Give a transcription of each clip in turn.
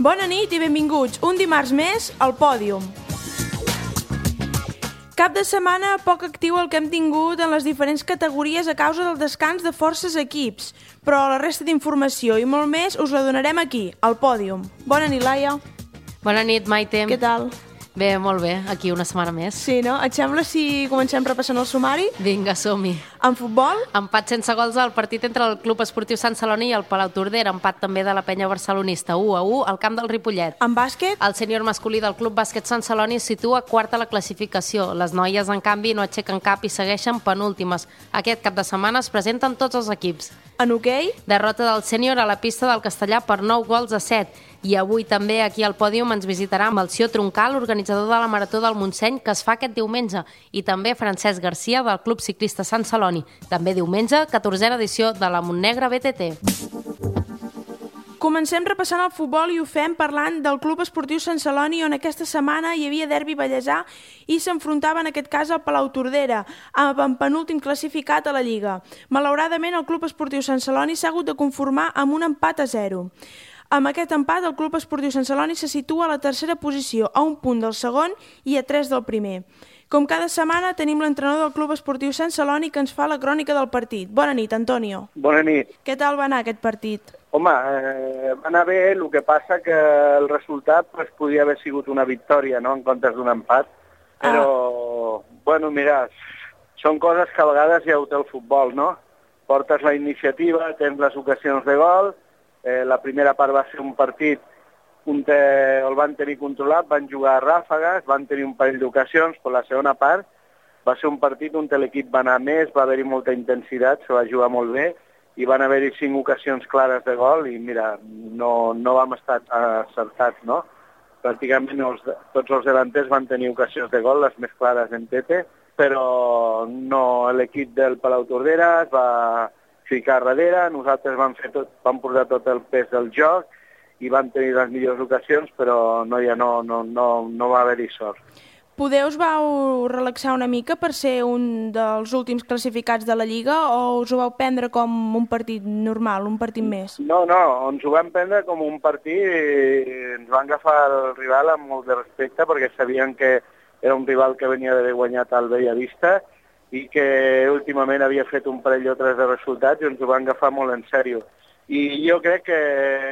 Bona nit i benvinguts un dimarts més al Pòdium. Cap de setmana poc actiu el que hem tingut en les diferents categories a causa del descans de forces equips, però la resta d'informació i molt més us la donarem aquí, al Pòdium. Bona nit, Laia. Bona nit, Maite. Què tal? Bé, molt bé, aquí una setmana més. Sí, no? Et sembla si comencem repassant el sumari? Vinga, som-hi. En futbol? Empat sense gols al partit entre el Club Esportiu Sant Celoni i el Palau Tordera. Empat també de la penya barcelonista, 1-1 al camp del Ripollet. En bàsquet? El sènior masculí del Club Bàsquet Sant Celoni es situa quart a la classificació. Les noies, en canvi, no aixequen cap i segueixen penúltimes. Aquest cap de setmana es presenten tots els equips. En hoquei? Derrota del sènior a la pista del Castellà per 9-7. I avui també aquí al Pòdium ens visitarà Melcior Troncal, organitzador de la Marató del Montseny, que es fa aquest diumenge, i també Francesc Garcia, del Club Ciclista Sant Celoni. També diumenge, 14a edició de la Montnegra BTT. Comencem repassant el futbol i ho fem parlant del Club Esportiu Sant Celoni, on aquesta setmana hi havia derbi ballesà i s'enfrontava en aquest cas al Palau Tordera, amb penúltim classificat a la Lliga. Malauradament, el Club Esportiu Sant Celoni s'ha hagut de conformar amb un empat a 0. Amb aquest empat, el Club Esportiu Sant Celoni se situa a la tercera posició, a un punt del segon i a 3 del primer. Com cada setmana, tenim l'entrenador del Club Esportiu Sant Celoni que ens fa la crònica del partit. Bona nit, Antonio. Bona nit. Què tal va anar aquest partit? Home, va anar bé, el que passa que el resultat podia haver sigut una victòria, no?, en comptes d'un empat. Però, bueno, mira, són coses que a vegades ja ho té el futbol, no? Portes la iniciativa, tens les ocasions de gol. La primera part va ser un partit on el van tenir controlat, van jugar a ràfegues, van tenir un parell d'ocasions, però la segona part va ser un partit on l'equip va anar més, va haver-hi molta intensitat, se va jugar molt bé, i van haver-hi 5 ocasions clares de gol, i mira, no vam estar acertats, no? Pràcticament tots els davanters van tenir ocasions de gol, les més clares en Tete, però no, l'equip del Palau Tordera es va ficar darrere, nosaltres vam posar tot el pes del joc i vam tenir les millors ocasions, però no va haver-hi sort. Poder us vau relaxar una mica per ser un dels últims classificats de la Lliga o us ho vau prendre com un partit normal, un partit més? No, ens ho vam prendre com un partit i ens va agafar el rival amb molt de respecte perquè sabien que era un rival que venia d'haver guanyat al Bellavista i que últimament havia fet un parell o tres de resultats i ens ho van agafar molt en sèrio. I jo crec que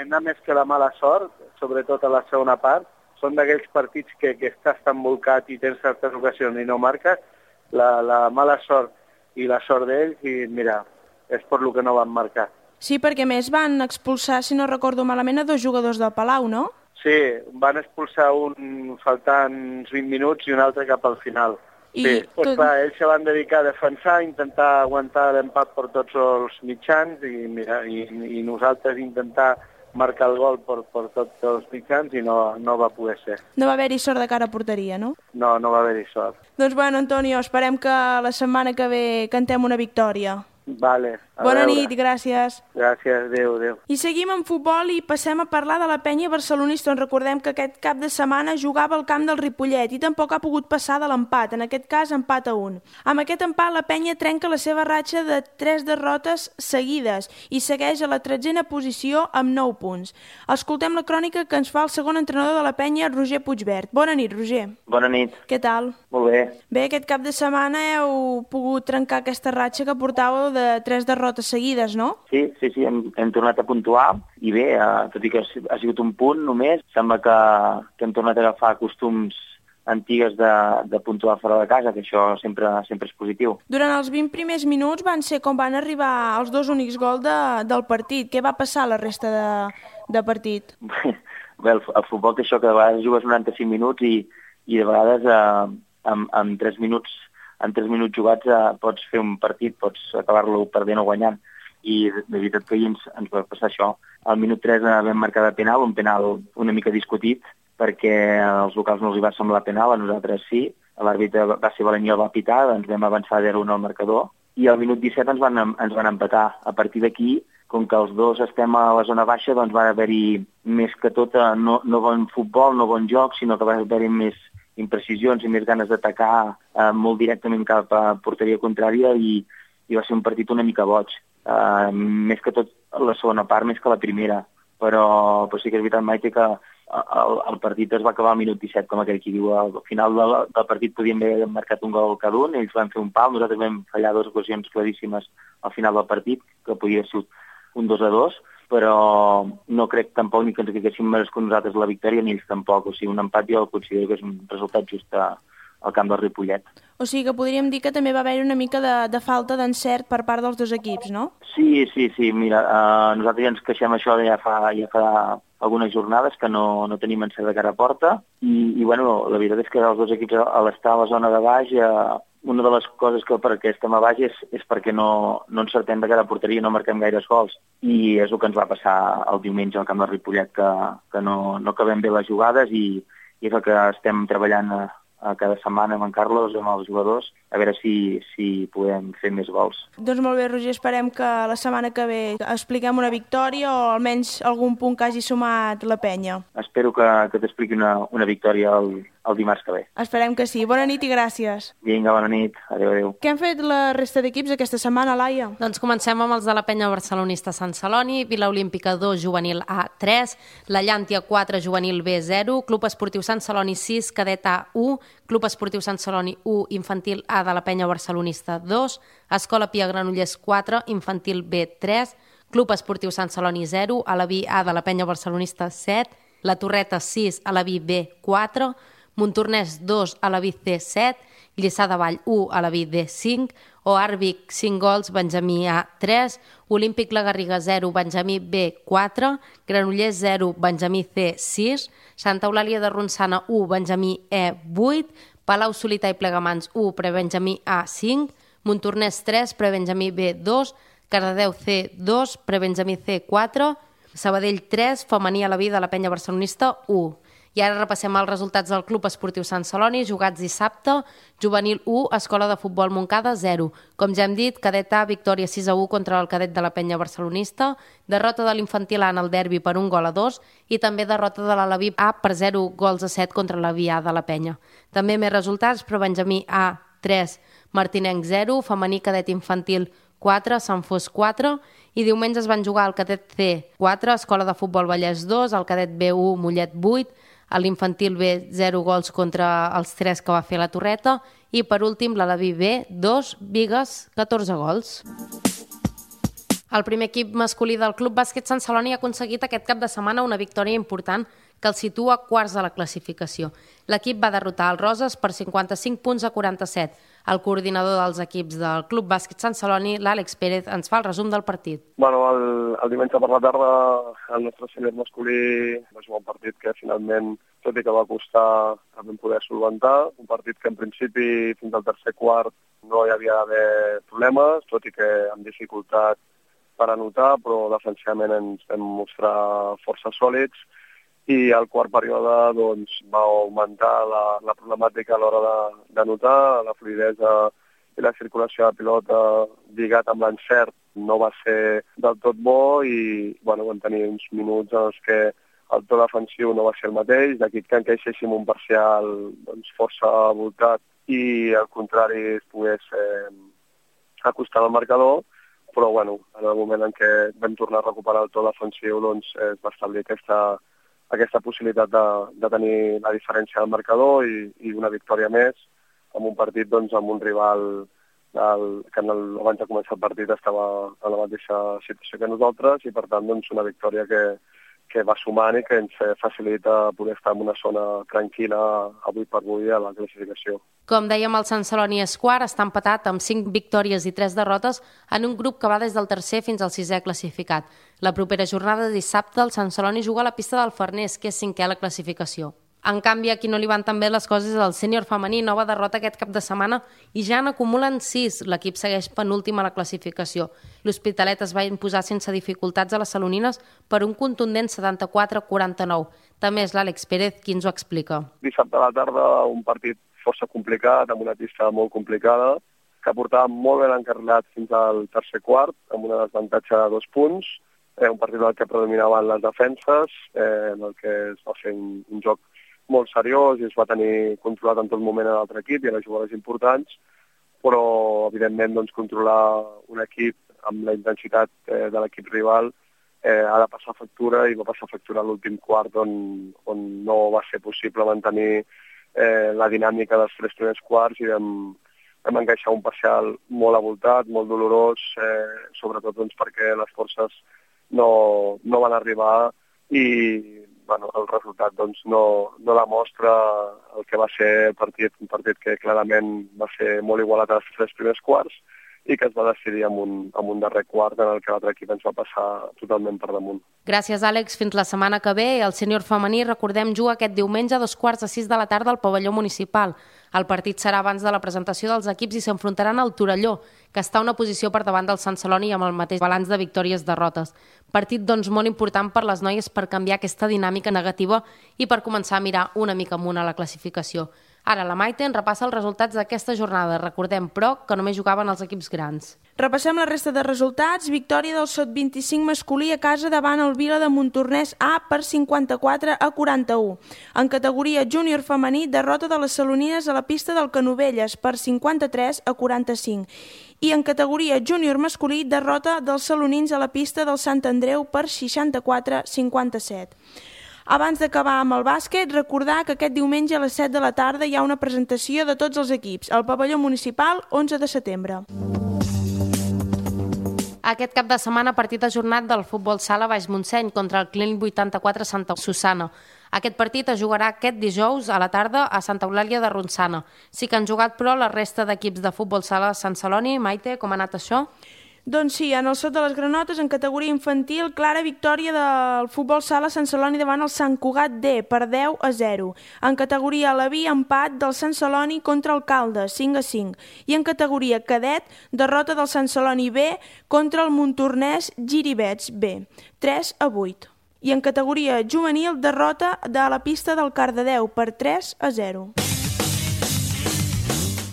anar més que la mala sort, sobretot a la segona part, són d'aquells partits que estàs tan volcat i tens certes ocasions i no marques, la mala sort i la sort d'ells, i mira, és per lo que no van marcar. Sí, perquè més van expulsar, si no recordo malament, a 2 jugadors del Palau, no? Sí, van expulsar un faltant uns 20 minuts i un altre cap al final. Sí, clar, ells se van dedicar a defensar, a intentar aguantar l'empat per tots els mitjans i nosaltres intentar marcar el gol per tots els mitjans i no va poder ser. No va haver-hi sort de cara a porteria, no? No va haver-hi sort. Doncs bueno, Antonio, esperem que la setmana que ve cantem una victòria. Vale. Bona nit i gràcies. Gràcies, adéu. I seguim amb futbol i passem a parlar de la penya barcelonista, on recordem que aquest cap de setmana jugava al camp del Ripollet i tampoc ha pogut passar de l'empat, en aquest cas empat a 1. Amb aquest empat la penya trenca la seva ratxa de 3 derrotes seguides i segueix a la 13a posició amb 9 punts. Escoltem la crònica que ens fa el segon entrenador de la penya, Roger Puigbert. Bona nit, Roger. Bona nit. Què tal? Molt bé. Bé, aquest cap de setmana heu pogut trencar aquesta ratxa que portàveu de 3 derrotes seguides, no? Sí, hem tornat a puntuar i bé, tot i que ha sigut un punt només, sembla que hem tornat a agafar costums antigues de puntuar fora de casa, que això sempre és positiu. Durant els 20 primers minuts van ser com van arribar els 2 únics gols del partit. Què va passar a la resta de partit? Bé, el futbol té això, que de vegades jugues 95 minuts i de vegades en 3 minuts jugats pots fer un partit, pots acabar-lo perdent o guanyant. I de veritat que ahir ens va passar això. Al minut 3 vam marcar de penal, un penal una mica discutit, perquè als locals no els hi va semblar penal, a nosaltres sí. L'àrbitre va ser valent i el va pitar, ens vam avançar 0-1 al marcador, i al minut 17 ens van empatar. A partir d'aquí, com que els dos estem a la zona baixa, doncs va haver-hi més que tot no bon futbol, no bon joc, sinó que va haver-hi més imprecisions i més ganes d'atacar molt directament cap a porteria contrària i va ser un partit una mica boig. Més que tot la segona part, més que la primera. Però sí que és veritat, Maite, que el partit es va acabar al minut 17, com aquell qui diu. Al final del partit podíem haver marcat un gol cada un, ells van fer un pal, nosaltres vam fallar 2 ocasions claríssimes al final del partit, que podia ser un 2-2, però no crec tampoc ni que ens haguéssim merescut nosaltres la victòria, ni ells tampoc. O sigui, un empat jo considero que és un resultat just al camp del Ripollet. O sigui que podríem dir que també va haver-hi una mica de falta d'encert per part dels 2 equips, no? Sí, mira, nosaltres ja ens queixem això ja fa algunes jornades que no tenim encert de cara a porta i bueno, la veritat és que els 2 equips a l'estar a la zona de baix, una de les coses que per què estem a baix és perquè no encertem de cara a porteria, no marquem gaires gols i és el que ens va passar el diumenge al camp del Ripollet, que no acabem bé les jugades i és el que estem treballant cada setmana amb en Carlos, amb els jugadors, a veure si podem fer més gols. Doncs molt bé, Roger, esperem que la setmana que ve expliquem una victòria o almenys algun punt que hagi sumat la penya. Espero que t'expliqui una victòria el dimarts que ve. Esperem que sí. Bona nit i gràcies. Vinga, bona nit. Adéu. Què han fet la resta d'equips aquesta setmana, Laia? Doncs comencem amb els de la penya barcelonista Sant Celoni, Vila Olímpica 2, juvenil A 3, la Llàntia 4, juvenil B 0, Club Esportiu Sant Celoni 6, cadet A 1, Club Esportiu Sant Celoni 1, infantil A de la penya barcelonista 2, Escola Pia Granollers 4, infantil B 3, Club Esportiu Sant Celoni 0, Alaví A de la penya barcelonista 7, La Torreta 6, Alaví B 4, Montornès 2, Alaví C 7, Lliçà de Vall 1, Alaví D 5, Oarvic 5 gols, Benjamí A 3, Olímpic La Garriga 0, Benjamí B 4, Granollers 0, Benjamí C 6, Santa Eulàlia de Ronçana 1, Benjamí E 8, Palau Solità i Plegamans 1, Prebenjamí A 5, Montornès 3, Prebenjamí B 2, Cardedeu C 2, Prebenjamí C 4, Sabadell 3, Femení Alaví de la penya barcelonista 1. I ara repassem els resultats del Club Esportiu Sant Celoni, jugats dissabte, juvenil 1, Escola de Futbol Montcada 0. Com ja hem dit, cadet A, victòria 6-1 contra el cadet de la penya barcelonista, derrota de l'infantil A en el derbi per 1-2 i també derrota de l'Alaví A per 0-7 contra l'Alaví A de la penya. També més resultats, però Benjamí A 3, Martinenc 0, femení cadet infantil 4, Sant Fos 4, i diumenge es van jugar el cadet C 4, Escola de Futbol Vallès 2, el cadet B1, Mollet 8, a l'infantil B 0 gols contra els 3 que va fer la Torreta i per últim l'Alaví B 2, Bigues 14 gols. El primer equip masculí del Club Bàsquet Sant Celoni ha aconseguit aquest cap de setmana una victòria important que el situa quarts de la classificació. L'equip va derrotar el Roses per 55 punts a 47. El coordinador dels equips del Club Bàsquet Sant Celoni, l'Àlex Pérez, ens fa el resum del partit. Bueno, el diumenge per la tarda el nostre sènior masculí va jugar un partit que finalment, tot i que va costar, vam poder solventar. Un partit que en principi fins al tercer quart no hi havia d'haver problemes, tot i que amb dificultat per anotar, però defensivament ens vam mostrar força sòlids i al quart període doncs, va augmentar la problemàtica a l'hora d'anotar, la fluidesa i la circulació de pilota lligat amb l'encert no va ser del tot bo i bueno, vam tenir uns minuts en els que el to defensiu no va ser el mateix, d'aquí que encaixéssim un parcial doncs, força voltat i al contrari es pogués acostar al marcador, però bueno, en el moment en què vam tornar a recuperar el to defensiu doncs, es va establir aquesta possibilitat de tenir la diferència del marcador i una victòria més en un partit doncs, amb un rival que abans de començar el partit estava en la mateixa situació que nosaltres i per tant doncs, una victòria que va sumant i que ens facilita poder estar en una zona tranquil·la avui per avui a la classificació. Com dèiem, el Sant Celoni és quart, està empatat amb 5 victòries i 3 derrotes en un grup que va des del tercer fins al 6è classificat. La propera jornada de dissabte el Sant Celoni juga a la pista del Farners, que és 5è a la classificació. En canvi, aquí no li van tan bé les coses al sènior femení, nova derrota aquest cap de setmana i ja n'acumulen 6. L'equip segueix penúltim a la classificació. L'Hospitalet es va imposar sense dificultats a les salonines per un contundent 74-49. També és l'Àlex Pérez qui ens ho explica. Dissabte a la tarda un partit força complicat, amb una pista molt complicada, que portava molt ben encarrilat fins al tercer quart, amb una desavantatge de 2 punts, un partit en el que predominaven les defenses, en el que es va fer un joc molt seriós i es va tenir controlat en tot moment a l'altre equip i a les jugades importants, però evidentment doncs, controlar un equip amb la intensitat de l'equip rival ha de passar factura, i va passar factura a l'últim quart on no va ser possible mantenir la dinàmica dels 3 primers quarts, i vam encaixar un parcial molt avoltat, molt dolorós, sobretot doncs, perquè les forces no van arribar, i el resultat doncs, no demostra el que va ser el partit, un partit que clarament va ser molt igualat als 3 primers quarts, i que es va decidir amb un darrer quart en el que l'altre equip ens va passar totalment per damunt. Gràcies, Àlex. Fins la setmana que ve. El sènior femení, recordem, juga aquest diumenge a 5:15 de la tarda al pavelló municipal. El partit serà abans de la presentació dels equips i s'enfrontaran al Torelló, que està a una posició per davant del Sant Celoni amb el mateix balanç de victòries-derrotes. Partit, doncs, molt important per les noies per canviar aquesta dinàmica negativa i per començar a mirar una mica amunt a la classificació. Ara la Maite ens repassa els resultats d'aquesta jornada. Recordem, però, que només jugaven els equips grans. Repassem la resta de resultats. Victòria del Sot-25 masculí a casa davant el Vila de Montornès A per 54-41. En categoria júnior femení, derrota de les salonines a la pista del Canovelles per 53-45. I en categoria júnior masculí, derrota dels salonins a la pista del Sant Andreu per 64-57. Abans d'acabar amb el bàsquet, recordar que aquest diumenge a les 7 de la tarda hi ha una presentació de tots els equips al pavelló municipal 11 de setembre. Aquest cap de setmana, partit ajornat del futbol sala Baix Montseny contra el Clínic 84 Santa Susana. Aquest partit es jugarà aquest dijous a la tarda a Santa Eulàlia de Ronçana. Sí que han jugat, però, la resta d'equips de futbol sala Sant Celoni. Maite, com ha anat això? Doncs sí, en el Sot de les Granotes, en categoria infantil, clara victòria del futbol sala Sant Celoni davant el Sant Cugat D per 10-0. En categoria Aleví, empat del Sant Celoni contra el Caldes, 5-5. I en categoria cadet, derrota del Sant Celoni B contra el Montornès Giribets B, 3-8. I en categoria juvenil, derrota de la pista del Cardedeu per 3-0.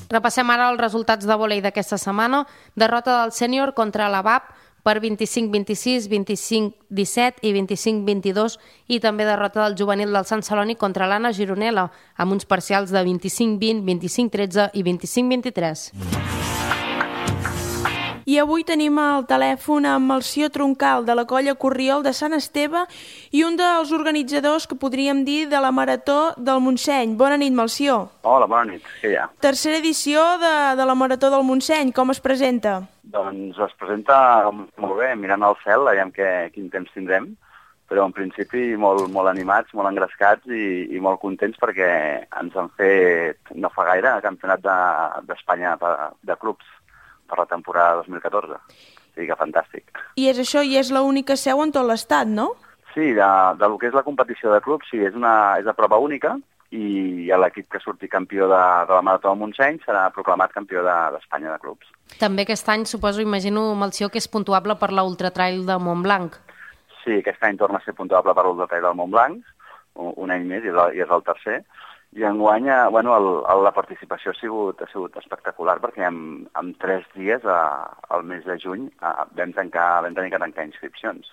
Repassem ara els resultats de vòlei d'aquesta setmana. Derrota del sènior contra l'ABAP per 25-26, 25-17 i 25-22 i també derrota del juvenil del Sant Celoni contra l'Anna Gironella amb uns parcials de 25-20, 25-13 i 25-23. I avui tenim al telèfon amb Melcior Troncal, de la colla Corriol de Sant Esteve i un dels organitzadors, que podríem dir, de la Marató del Montseny. Bona nit, Melcior. Hola, bona nit. Què hi ha? Tercera edició de la Marató del Montseny. Com es presenta? Doncs es presenta molt bé, mirant al cel, veiem quin temps tindrem, però en principi molt animats, molt engrescats i molt contents perquè ens han fet no fa gaire el campionat d'Espanya de clubs per la temporada 2014. O sigui que fantàstic. I és això, i és l'única seu en tot l'estat, no? Sí, de lo que és la competició de clubs, sí, és la prova única i l'equip que surti campió de la Marató del Montseny serà proclamat campió d'Espanya de clubs. També aquest any, suposo, imagino, Melcior, que és puntuable per l'Ultratrail de Montblanc. Sí, aquest any torna a ser puntuable per l'Ultratrail del Montblanc, un any més, i és el tercer. I enguany, la participació ha sigut espectacular, perquè en 3 dies, al mes de juny, vam tenir que tancar inscripcions,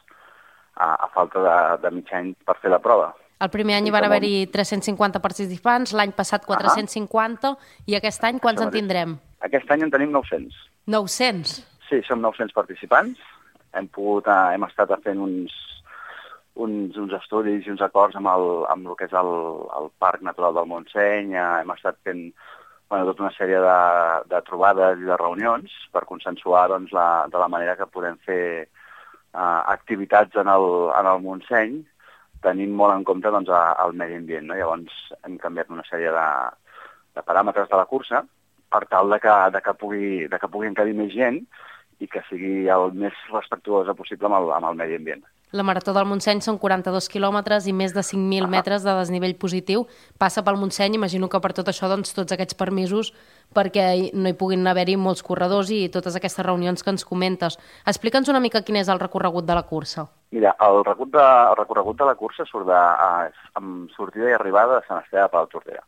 a falta de mig any per fer la prova. El primer any hi van haver-hi 350 participants, l'any passat 450, i aquest any quants en tindrem? Aquest any en tenim 900. 900? Sí, som 900 participants. Hem estat fent uns estudis i uns acords amb el que és el Parc Natural del Montseny. Hem estat fent tota una sèrie de trobades i de reunions per consensuar de la manera que podem fer activitats en el Montseny, tenint molt en compte el medi ambient. Llavors hem canviat una sèrie de paràmetres de la cursa per tal que pugui encabir més gent i que sigui el més respectuosa possible amb el medi ambient. La Marató del Montseny són 42 quilòmetres i més de 5.000 metres de desnivell positiu. Passa pel Montseny, imagino que per tot això, tots aquests permisos perquè no hi puguin haver-hi molts corredors i totes aquestes reunions que ens comentes. Explica'ns una mica quin és el recorregut de la cursa. Mira, el recorregut de la cursa surt amb sortida i arribada de Sant Esteve de Palautordera.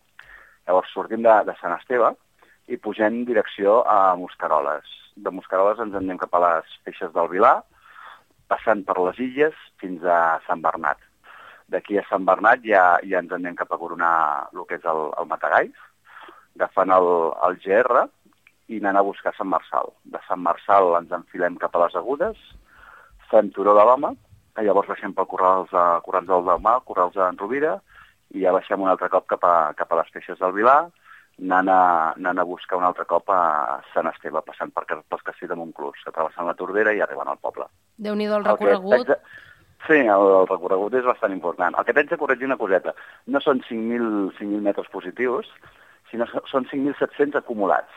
Llavors sortim de Sant Esteve i pugem direcció a Mosqueroles. De Mosqueroles ens anem cap a les Feixes del Vilar, passant per les Illes fins a Sant Bernat. D'aquí a Sant Bernat ja ens anem cap a coronar el que és el Matagalls, agafant el GR i anant a buscar Sant Marçal. De Sant Marçal ens enfilem cap a les Agudes, fem Turó de l'Home, Llavors baixem pel Corrals del Dalmau, Corrals d'en Rovira, i ja baixem un altre cop cap a les Feixes del Vilar, anant a buscar un altre cop a Sant Esteve, passant pels castells de Montclús, travessant la Tordera i arribant al poble. Déu-n'hi-do el recorregut. Sí, el recorregut és bastant important. El que t'haig de corregir una coseta, no són 5.000 metres positius, sinó són 5.700 acumulats.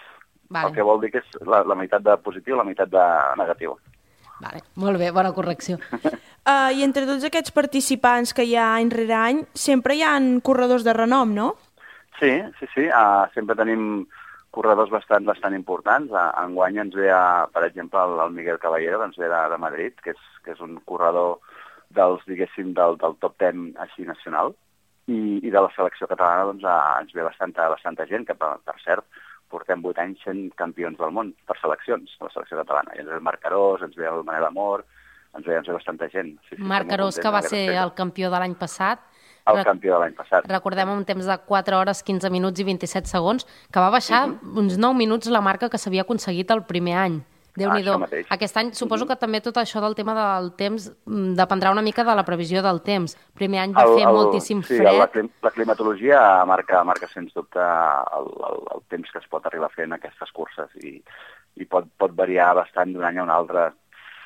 Vale. El que vol dir que és la meitat de positiu, la meitat de negatiu. Vale, molt bé, bona correcció. I entre tots aquests participants que hi ha any rere any, sempre hi ha corredors de renom, no? Sí. Sempre tenim corredors bastant importants. Enguany ens ve, per exemple, el Miguel Caballero, que ens ve de Madrid, que és un corredor diguéssim, del top 10 així nacional. I de la selecció catalana doncs, ens ve bastanta gent, que per cert, portem 8 anys sent campions del món per seleccions, la selecció catalana. I ens ve el Marc Carós, ens ve el Manel Amor, ens ve bastanta gent. Sí, Marc Carós, que va ser el campió de l'any passat. El campió de l'any passat. Recordem un temps de 4 hores, 15 minuts i 27 segons, que va baixar uns 9 minuts la marca que s'havia aconseguit el primer any. Déu-n'hi-do. Aquest any suposo que també tot això del tema del temps dependrà una mica de la previsió del temps. Primer any va fer moltíssim fred. Sí, la climatologia marca sens dubte el temps que es pot arribar a fer en aquestes curses i pot variar bastant d'un any a un altre.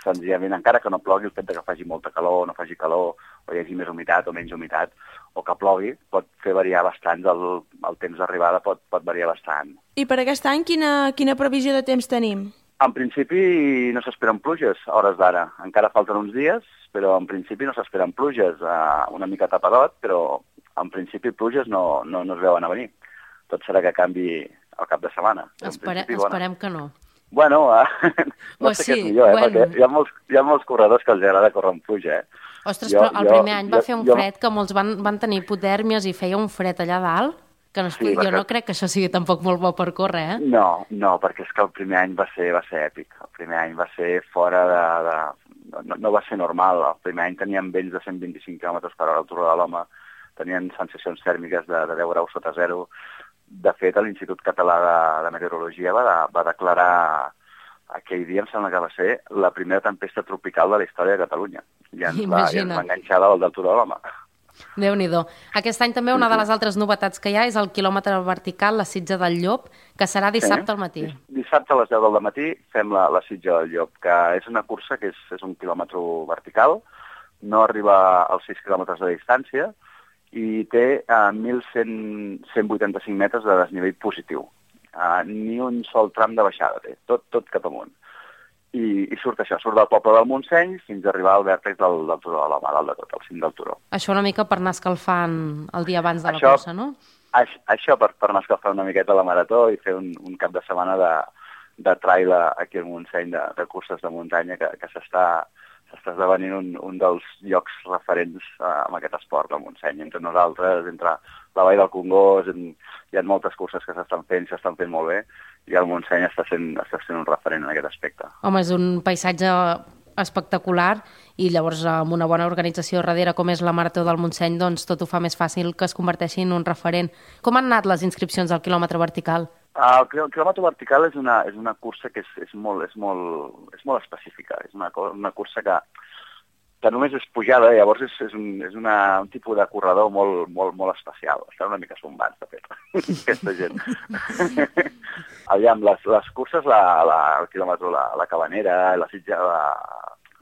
Senzillament, encara que no plogui, el fet que faci molta calor o no faci calor, o hi hagi més humitat o menys humitat, o que plogui, pot fer variar bastant, el temps d'arribada pot variar bastant. I per aquest any quina previsió de temps tenim? En principi no s'esperen pluges a hores d'ara. Encara falten uns dies, però en principi no s'esperen pluges. Una mica tapadot, però en principi pluges no es veuen a venir. Tot serà que canvi al cap de setmana. Esperem que no. Bueno, no sé què és millor, perquè hi ha molts corredors que els agrada córrer amb pluja. Ostres, però el primer any va fer un fred que molts van tenir hipotèrmies i feia un fred allà dalt. Jo no crec que això sigui tampoc molt bo per córrer, No, perquè és que el primer any va ser èpic. El primer any va ser fora de... No va ser normal. El primer any teníem vents de 125 km per hora al Turó de l'Home, tenien sensacions tèrmiques de 10 graus sota zero. De fet, l'Institut Català de Meteorologia va declarar aquell dia, em sembla que va ser la primera tempesta tropical de la història de Catalunya. I ens va enganxar del Turó de l'Home. Déu-n'hi-do. Aquest any també una de les altres novetats que hi ha és el quilòmetre vertical, la Sitja del Llop, que serà dissabte al matí. Dissabte a les 10 del matí fem la Sitja del Llop, que és una cursa que és un quilòmetre vertical, no arriba als 6 quilòmetres de distància i té 1.185 metres de desnivell positiu. Ni un sol tram de baixada té, tot cap amunt. I surt del poble del Montseny fins a arribar al vèrtex del Turó de l'Home, dalt de tot, al cim del turó. Això una mica per anar escalfant el dia abans de la cursa, no? Això per anar escalfant una miqueta la marató i fer un cap de setmana de trail aquí al Montseny, de curses de muntanya, que s'està esdevenint un dels llocs referents amb aquest esport del Montseny. Entre nosaltres, entre la Vall del Congost, hi ha moltes curses que s'estan fent molt bé, i el Montseny està sent un referent en aquest aspecte. Home, és un paisatge espectacular i llavors amb una bona organització darrere com és la Marató del Montseny, doncs tot ho fa més fàcil que es converteixi en un referent. Com han anat les inscripcions al quilòmetre vertical? El quilòmetre vertical és una cursa que és molt específica. És una cursa que només és pujada, llavors és un tipus de corredor molt especial. Estan una mica sombats, de fet, aquesta gent. Aviam, les curses, el quilòmetre, la Cabanera, la Sitja,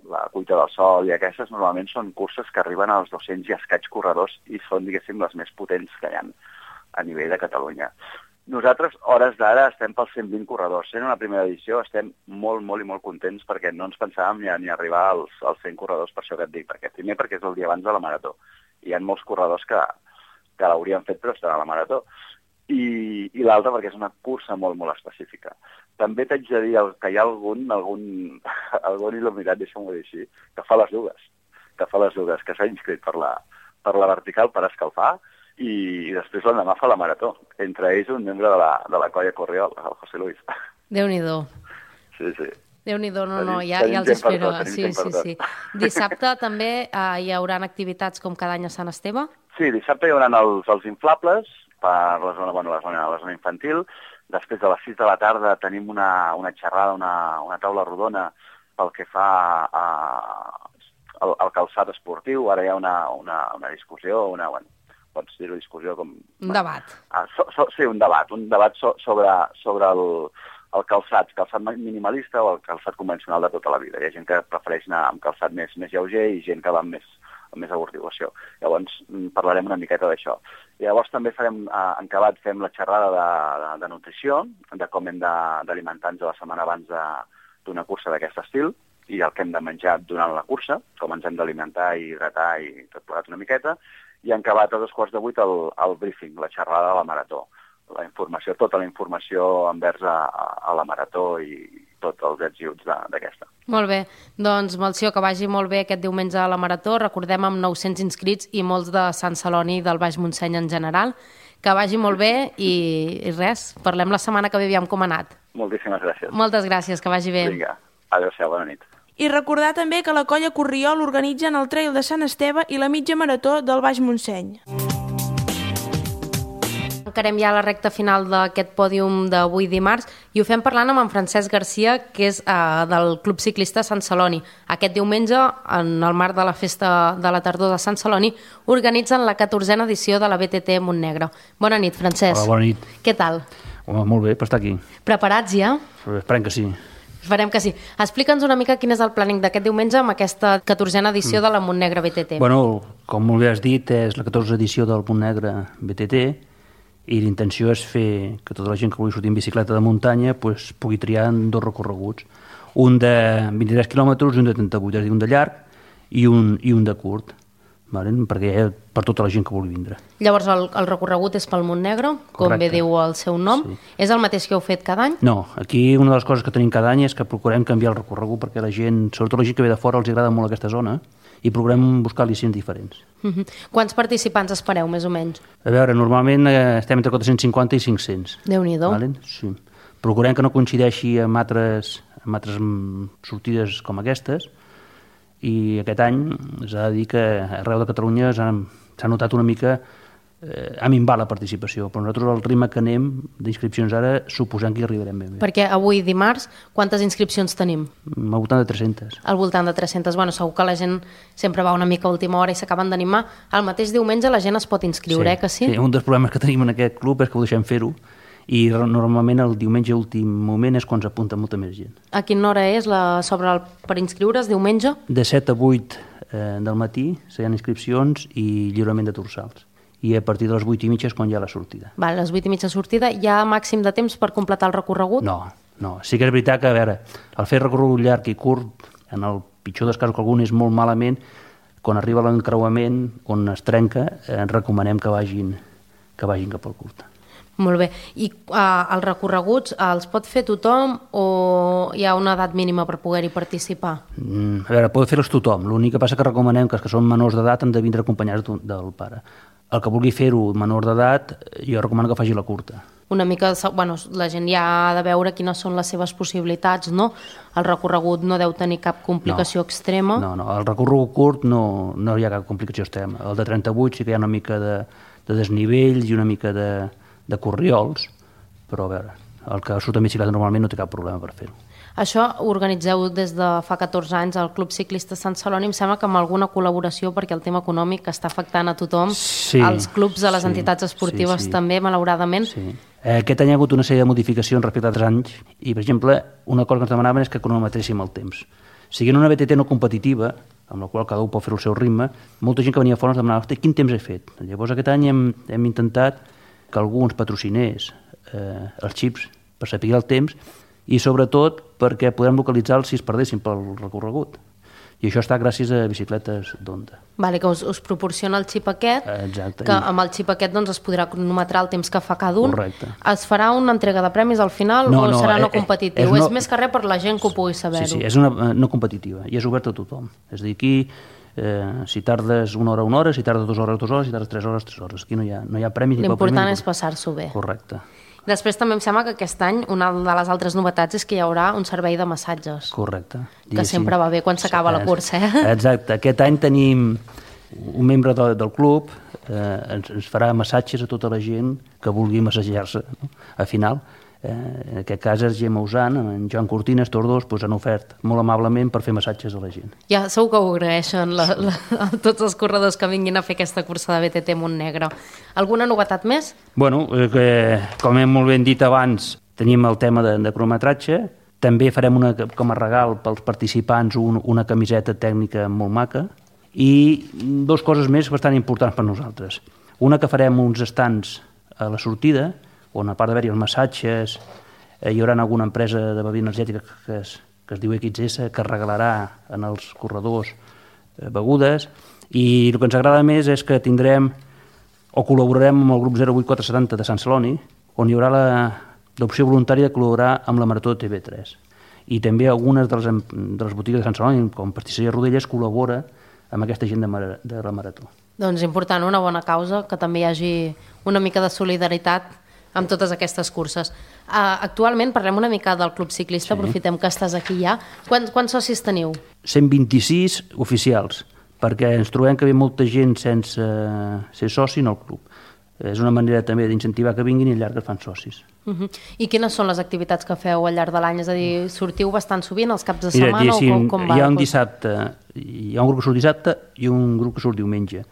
la Cuita del Sol i aquestes normalment són curses que arriben als 200 i escaig corredors i són, diguéssim, les més potents que hi ha a nivell de Catalunya. Nosaltres, hores d'ara, estem pels 120 corredors. Sent una primera edició estem molt i molt contents perquè no ens pensàvem ni arribar als 100 corredors, per això que et dic. Primer perquè és el dia abans de la Marató. Hi ha molts corredors que l'haurien fet però estan a la Marató. I l'altre perquè és una cursa molt específica. També t'haig de dir que hi ha algun il·luminat, deixa'm-ho dir així, que fa les dues, que s'ha inscrit per la vertical per escalfar, i després l'endemà fa la Marató. Entre ells un membre de la colla Corriol, el José Luis. Déu-n'hi-do. Sí. Déu-n'hi-do, ja els espero. Sí. Dissabte també hi haurà activitats com cada any a Sant Esteve? Sí, dissabte hi haurà els inflables per la zona infantil. Després de les 6 de la tarda tenim una xerrada, una taula rodona pel que fa el calçat esportiu. Ara hi ha una discussió, pots dir-ho discussió com... Un debat. Sí, un debat sobre el calçat minimalista o el calçat convencional de tota la vida. Hi ha gent que prefereix anar amb calçat més lleuger i gent que va amb més amortiguació. Llavors parlarem una miqueta d'això. Llavors també farem, en acabat, fem la xerrada de nutrició, de com hem d'alimentar-nos la setmana abans d'una cursa d'aquest estil i el que hem de menjar durant la cursa, com ens hem d'alimentar i hidratar i tot plegat una miqueta, i en acabat a 2:15 el briefing, la xerrada de la marató. Tota la informació envers a la marató i tots els ets i uts d'aquesta. Molt bé, doncs Melcior, que vagi molt bé aquest diumenge a la marató. Recordem amb 900 inscrits i molts de Sant Celoni i del Baix Montseny en general. Que vagi molt bé i res, parlem la setmana que ve, aviam com ha anat. Moltíssimes gràcies. Moltes gràcies, que vagi bé. Vinga, adéu-siau, bona nit. I recordar també que la colla Corriol organitzen el Trail de Sant Esteve i la mitja marató del Baix Montseny. Encarem ja la recta final d'aquest pòdium d'avui dimarts i ho fem parlant amb en Francesc Garcia, que és del Club Ciclista Sant Celoni. Aquest diumenge, en el marc de la festa de la tardor de Sant Celoni, organitzen la 14a edició de la BTT Montnegre. Bona nit, Francesc. Hola, bona nit. Què tal? Home, molt bé per estar aquí. Preparats ja? Esperem que sí. Esperem que sí. Explica'ns una mica quin és el planning d'aquest diumenge amb aquesta 14a edició de la Montnegre BTT. Bueno, com molt bé has dit, és la 14a edició del Montnegre BTT i l'intenció és fer que tota la gent que vulgui sortir en bicicleta de muntanya pugui triar en 2 recorreguts. Un de 23 quilòmetres i un de 38, és a dir, un de llarg i un de curt, perquè per tota la gent que vulgui vindre. Llavors el recorregut és pel Montnegre, com Correcte. bé diu el seu nom. Sí. És el mateix que heu fet cada any? No, aquí una de les coses que tenim cada any és que procurem canviar el recorregut perquè la gent, sobretot la gent que ve de fora, els agrada molt aquesta zona i procurem buscar al·licients diferents. Quants participants espereu, més o menys? A veure, normalment estem entre 450 i 500. Déu-n'hi-do. Sí. Procurem que no coincideixi amb altres sortides com aquestes i aquest any s'ha de dir que arreu de Catalunya s'ha notat una mica ha minvat la participació, però nosaltres al ritme que anem d'inscripcions ara suposem que hi arribarem bé. Perquè avui dimarts quantes inscripcions tenim? Al voltant de 300. Al voltant de 300. Bueno, segur que la gent sempre va una mica a última hora i s'acaben d'animar. El mateix diumenge la gent es pot inscriure, que sí? Sí, un dels problemes que tenim en aquest club és que ho deixem fer-ho i normalment el diumenge últim moment és quan s'apunta molta més gent. A quina hora és per inscriure's diumenge? De 7 a 8 del matí hi ha inscripcions i lliurament de dorsals. I a partir de les 8:30 és quan hi ha la sortida. Vale, a les 8:30 sortida. Hi ha màxim de temps per completar el recorregut? No. Sí que és veritat que, a veure, el fer recorregut llarg i curt, en el pitjor dels casos que algun és molt malament, quan arriba l'encreuament, on es trenca, recomanem que vagin cap al curt. Molt bé. I els recorreguts els pot fer tothom o hi ha una edat mínima per poder-hi participar? A veure, pot fer-los tothom. L'únic que passa que recomanem que els que són menors d'edat han de vindre acompanyats del pare. El que vulgui fer-ho menor d'edat, jo recomano que faci la curta. Una mica, bueno, la gent ja ha de veure quines són les seves possibilitats, no? El recorregut no deu tenir cap complicació extrema. No, el recorregut curt no hi ha cap complicació extrema. El de 38 sí que hi ha una mica de desnivells i una mica de corriols, però a veure, el que surt en bicicleta normalment no té cap problema per fer-ho. Això ho organitzeu des de fa 14 anys al Club Ciclista Sant Celoni, em sembla que amb alguna col·laboració perquè el tema econòmic està afectant a tothom, als clubs, a les entitats esportives també, malauradament. Sí. Aquest any hi ha hagut una sèrie de modificacions respecte a altres anys i, per exemple, una cosa que ens demanaven és que cronometréssim el temps. Siguent una BTT no competitiva, amb la qual cada un pot fer el seu ritme, molta gent que venia fora ens demanava quin temps he fet. Llavors aquest any hem intentat que algú ens patrocinés els xips per saber el temps i sobretot perquè podem localitzar-los si es perdessin pel recorregut. I això està gràcies a bicicletes d'Onda. Vale, que us proporciona el xip aquest, exacte, que amb el xip aquest doncs, es podrà cronometrar el temps que fa cada un. Correcte. Es farà una entrega de premis al final o serà no competitiu? És més que res per la gent que ho pugui saber-ho. Sí, és una no competitiva i és oberta a tothom. És a dir, aquí si tardes una hora, si tardes 2 hores, 2 hores, si tardes 3 hores, 3 hores. Aquí no hi ha premis. L'important és passar-s'ho bé. Correcte. Després també em sembla que aquest any una de les altres novetats és que hi haurà un servei de massatges. Correcte. Que sempre va bé quan s'acaba la cursa. Exacte. Aquest any tenim un membre del club, ens farà massatges a tota la gent que vulgui massajar-se a final. En aquest cas és Gemma Usant, en Joan Cortines, tots dos han ofert molt amablement per fer massatges a la gent. Ja segur que ho agraeixen tots els corredors que vinguin a fer aquesta cursa de BTT Montnegre. Alguna novetat més? Bueno, com hem molt ben dit abans, tenim el tema de cronometratge. També farem com a regal pels participants una camiseta tècnica molt maca i dues coses més bastant importants per nosaltres. Una, que farem uns estants a la sortida, on a part d'haver-hi els massatges hi haurà alguna empresa de bebida energètica que es diu XS, que regalarà en els corredors begudes, i el que ens agrada més és que tindrem o col·laborarem amb el grup 08470 de Sant Celoni, on hi haurà l'opció voluntària de col·laborar amb la Marató de TV3. I també algunes de les botigues de Sant Celoni, com Pastisseria Rodelles, col·labora amb aquesta gent de la Marató. Doncs important, una bona causa, que també hi hagi una mica de solidaritat amb totes aquestes curses. Actualment parlem una mica del Club Ciclista, aprofitem que estàs aquí ja. Quants socis teniu? 126 oficials, perquè ens trobem que ve molta gent sense ser soci en el club. És una manera també d'incentivar que vinguin i al llarg es fan socis. I quines són les activitats que feu al llarg de l'any? És a dir, sortiu bastant sovint els caps de setmana o com va? Hi ha un dissabte, hi ha un grup que surt dissabte i un grup que surt diumenge,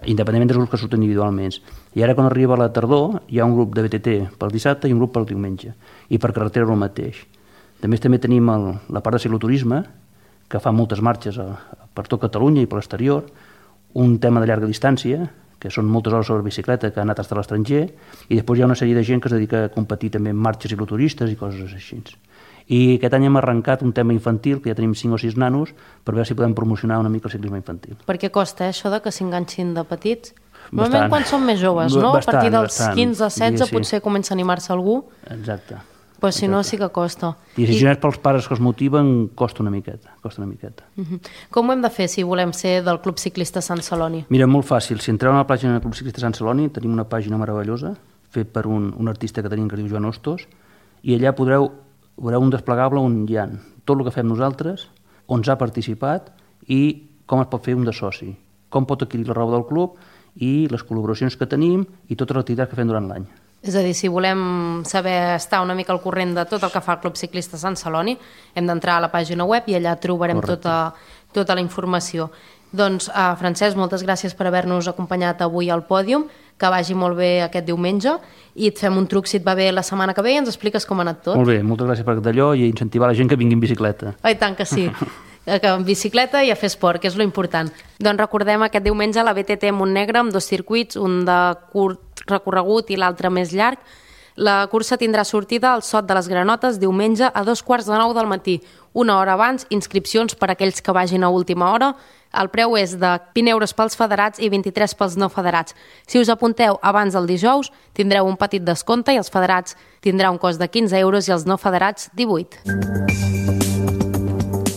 independentment dels grups que surten individualment. I ara, quan arriba la tardor, hi ha un grup de BTT pel dissabte i un grup pel diumenge. I per carretera el mateix. A més, també tenim la part de cicloturisme, que fa moltes marxes per tot Catalunya i per l'exterior, un tema de llarga distància, que són moltes hores sobre bicicleta, que han anat fins a l'estranger, i després hi ha una sèrie de gent que es dedica a competir també en marxes cicloturistes i coses així. I aquest any hem arrencat un tema infantil, que ja tenim 5 o 6 nanos, per veure si podem promocionar una mica el ciclisme infantil. Per què costa això de que s'enganxin de petits? Normalment quan són més joves, no? A partir dels 15 o 16 potser comença a animar-se algú. Exacte. Però si no, sí que costa. I si no és pels pares que els motiven, costa una miqueta. Com ho hem de fer si volem ser del Club Ciclista Sant Celoni? Mira, molt fàcil. Si entreu a la pàgina del Club Ciclista Sant Celoni, tenim una pàgina meravellosa, fet per un artista que tenim que es diu Joan Hostos, i allà veureu un desplegable on hi ha tot el que fem nosaltres, on s'ha participat i com es pot fer un de soci, com pot adquirir la roba del club i les col·laboracions que tenim i totes les activitats que fem durant l'any. És a dir, si volem saber estar una mica al corrent de tot el que fa el Club Ciclista Sant Celoni, hem d'entrar a la pàgina web i allà trobarem tota la informació. Doncs, Francesc, moltes gràcies per haver-nos acompanyat avui al pòdium, que vagi molt bé aquest diumenge i et fem un truc si et va bé la setmana que ve i ens expliques com ha anat tot. Molt bé, moltes gràcies per d'allò i incentivar la gent que vingui en bicicleta. I tant que sí, que en bicicleta i a fer esport, que és lo important. Doncs recordem aquest diumenge la BTT Montnegre amb 2 circuits, un de curt recorregut i l'altre més llarg. La cursa tindrà sortida al Sot de les Granotes diumenge a 8:45 del matí. Una hora abans, inscripcions per a aquells que vagin a última hora. El preu és de 20 euros pels federats i 23 pels no federats. Si us apunteu abans del dijous, tindreu un petit descompte i els federats tindrà un cost de 15 euros i els no federats 18.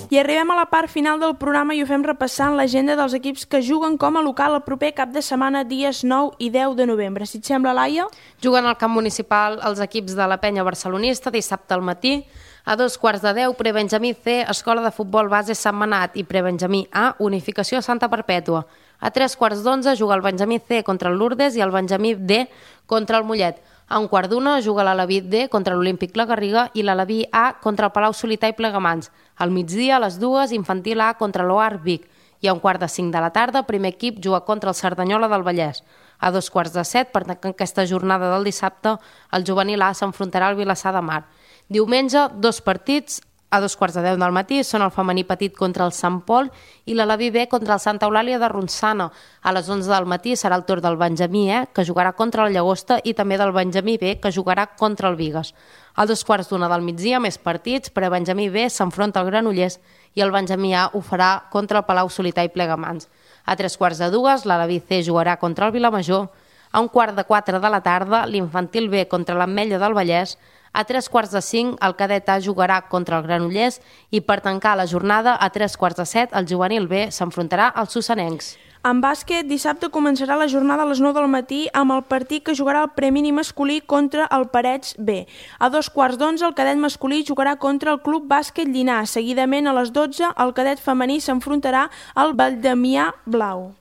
I arribem a la part final del programa i ho fem repassant l'agenda dels equips que juguen com a local el proper cap de setmana dies 9 i 10 de novembre. Si et sembla, Laia? Juguen al camp municipal els equips de la Penya Barcelonista dissabte al matí. A 2:15, Prebenjamí C, Escola de Futbol Base Sant Manat i Prebenjamí A, Unificació Santa Perpètua. A 3:15 juga el Benjamí C contra el Lourdes i el Benjamí D contra el Mollet. A 1:15 juga l'Aleví D contra l'Olímpic La Garriga i l'Aleví A contra el Palau Solità i Plegamans. Al migdia, a les 2, Infantil A contra l'OAR Vic. I a 4:45 de la tarda, primer equip juga contra el Cerdanyola del Vallès. A 6:45, per tancar aquesta jornada del dissabte, el Juvenil A s'enfrontarà al Vilassar de Mar. Diumenge, 2 partits, a 2:15 del matí, són el femení petit contra el Sant Pol i l'Aleví B contra el Santa Eulàlia de Ronçana. A les 11 del matí serà el torn del Benjamí E, que jugarà contra la Llagosta, i també del Benjamí B, que jugarà contra el Bigues. A 2:15 del migdia, més partits, per a Benjamí B s'enfronta al Granollers i el Benjamí A ho farà contra el Palau Solità i Plegamans. A 3:15, l'Aleví C jugarà contra el Vilamajor. A 1:45 de la tarda, l'Infantil B contra l'Ametlla del Vallès. A 3:45, el Cadet A jugarà contra el Granollers i per tancar la jornada, a 3:15, el Juvenil B s'enfrontarà als Sussanencs. En bàsquet, dissabte començarà la jornada a les 9 del matí amb el partit que jugarà el premini masculí contra el Parets B. A 2:15, el cadet masculí jugarà contra el Club Bàsquet Llinars. Seguidament, a les 12, el cadet femení s'enfrontarà al Valdemià Blau.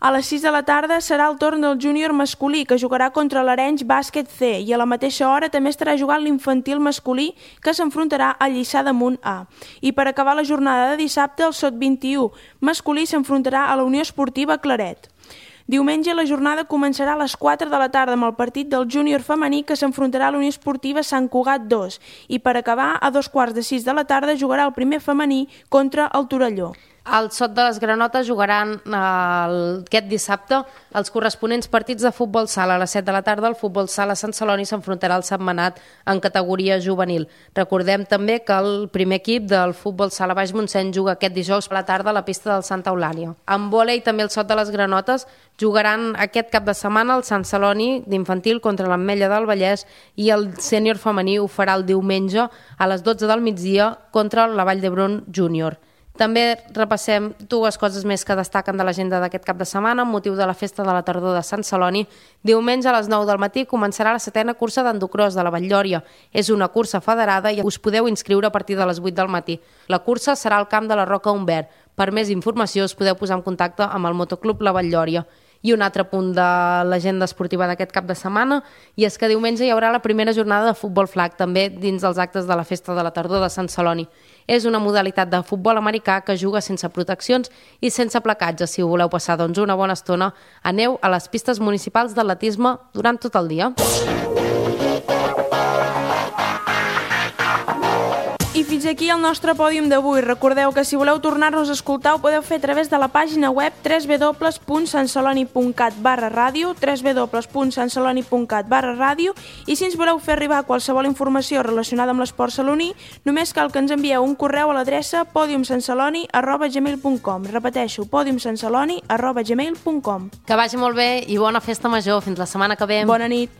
A les 6 de la tarda serà el torn del júnior masculí, que jugarà contra l'Arenys Bàsquet C, i a la mateixa hora també estarà jugant l'infantil masculí, que s'enfrontarà al Lliçà d'Amunt A. I per acabar la jornada de dissabte, el SOT 21 masculí s'enfrontarà a la Unió Esportiva Claret. Diumenge la jornada començarà a les 4 de la tarda amb el partit del júnior femení, que s'enfrontarà a la Unió Esportiva Sant Cugat 2, i per acabar, a 2:45 de la tarda jugarà el primer femení contra el Torelló. El Sot de les Granotes jugaran aquest dissabte els corresponents partits de futbol sala. A les 7 de la tarda el futbol sala Sant Celoni s'enfrontarà al Sentmenat en categoria juvenil. Recordem també que el primer equip del futbol sala Baix Montseny juga aquest dijous a la tarda a la pista del Santa Eulàlia. En vòlei també el Sot de les Granotes jugaran aquest cap de setmana el Sant Celoni d'infantil contra l'Ametlla del Vallès, i el sènior femení ho farà el diumenge a les 12 del migdia contra la Vall d'Hebron júnior. També repassem dues coses més que destaquen de l'agenda d'aquest cap de setmana amb motiu de la festa de la tardor de Sant Celoni. Diumenge a les 9 del matí començarà la 7a cursa d'endocròs de la Vall-llòria. És una cursa federada i us podeu inscriure a partir de les 8 del matí. La cursa serà al camp de la Roca Humbert. Per més informació us podeu posar en contacte amb el Motoclub La Vall-llòria. I un altre punt de l'agenda esportiva d'aquest cap de setmana, i és que diumenge hi haurà la primera jornada de futbol flag, també dins dels actes de la festa de la tardor de Sant Celoni. És una modalitat de futbol americà que juga sense proteccions i sense placatge. Si ho voleu passar una bona estona, aneu a les pistes municipals d'atletisme durant tot el dia. I fins aquí el nostre pòdium d'avui. Recordeu que si voleu tornar-nos a escoltar ho podeu fer a través de la pàgina web www.santceloni.cat/ràdio, www.santceloni.cat/ràdio, i si ens voleu fer arribar qualsevol informació relacionada amb l'esport saloní, només cal que ens envieu un correu a l'adreça podiumsantceloni@gmail.com. Repeteixo, podiumsantceloni@gmail.com. Que vagi molt bé i bona festa major. Fins la setmana que ve. Bona nit.